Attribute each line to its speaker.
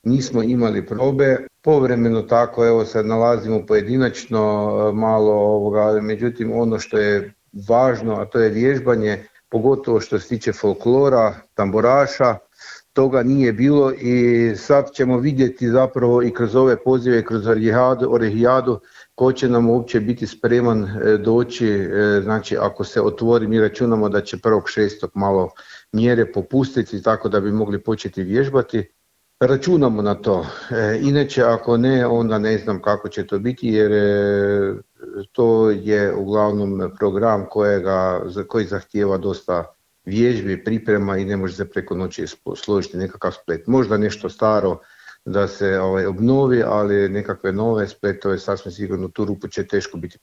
Speaker 1: nismo imali probe. Povremeno tako, evo sad nalazimo pojedinačno malo međutim ono što je važno, a to je vježbanje, pogotovo što se tiče folklora, tamburaša, toga nije bilo i sad ćemo vidjeti zapravo i kroz ove pozive, kroz Orehijadu, ko će nam uopće biti spreman doći, znači ako se otvori, mi računamo da će 1.6. malo mjere popustiti tako da bi mogli početi vježbati. Računamo na to, inače ako ne, onda ne znam kako će to biti jer to je uglavnom program koji zahtijeva dosta vježbi, priprema i ne može se preko noći složiti nekakav splet. Možda nešto staro da se obnovi, ali nekakve nove spletove sasvim sigurno tu rupu će teško biti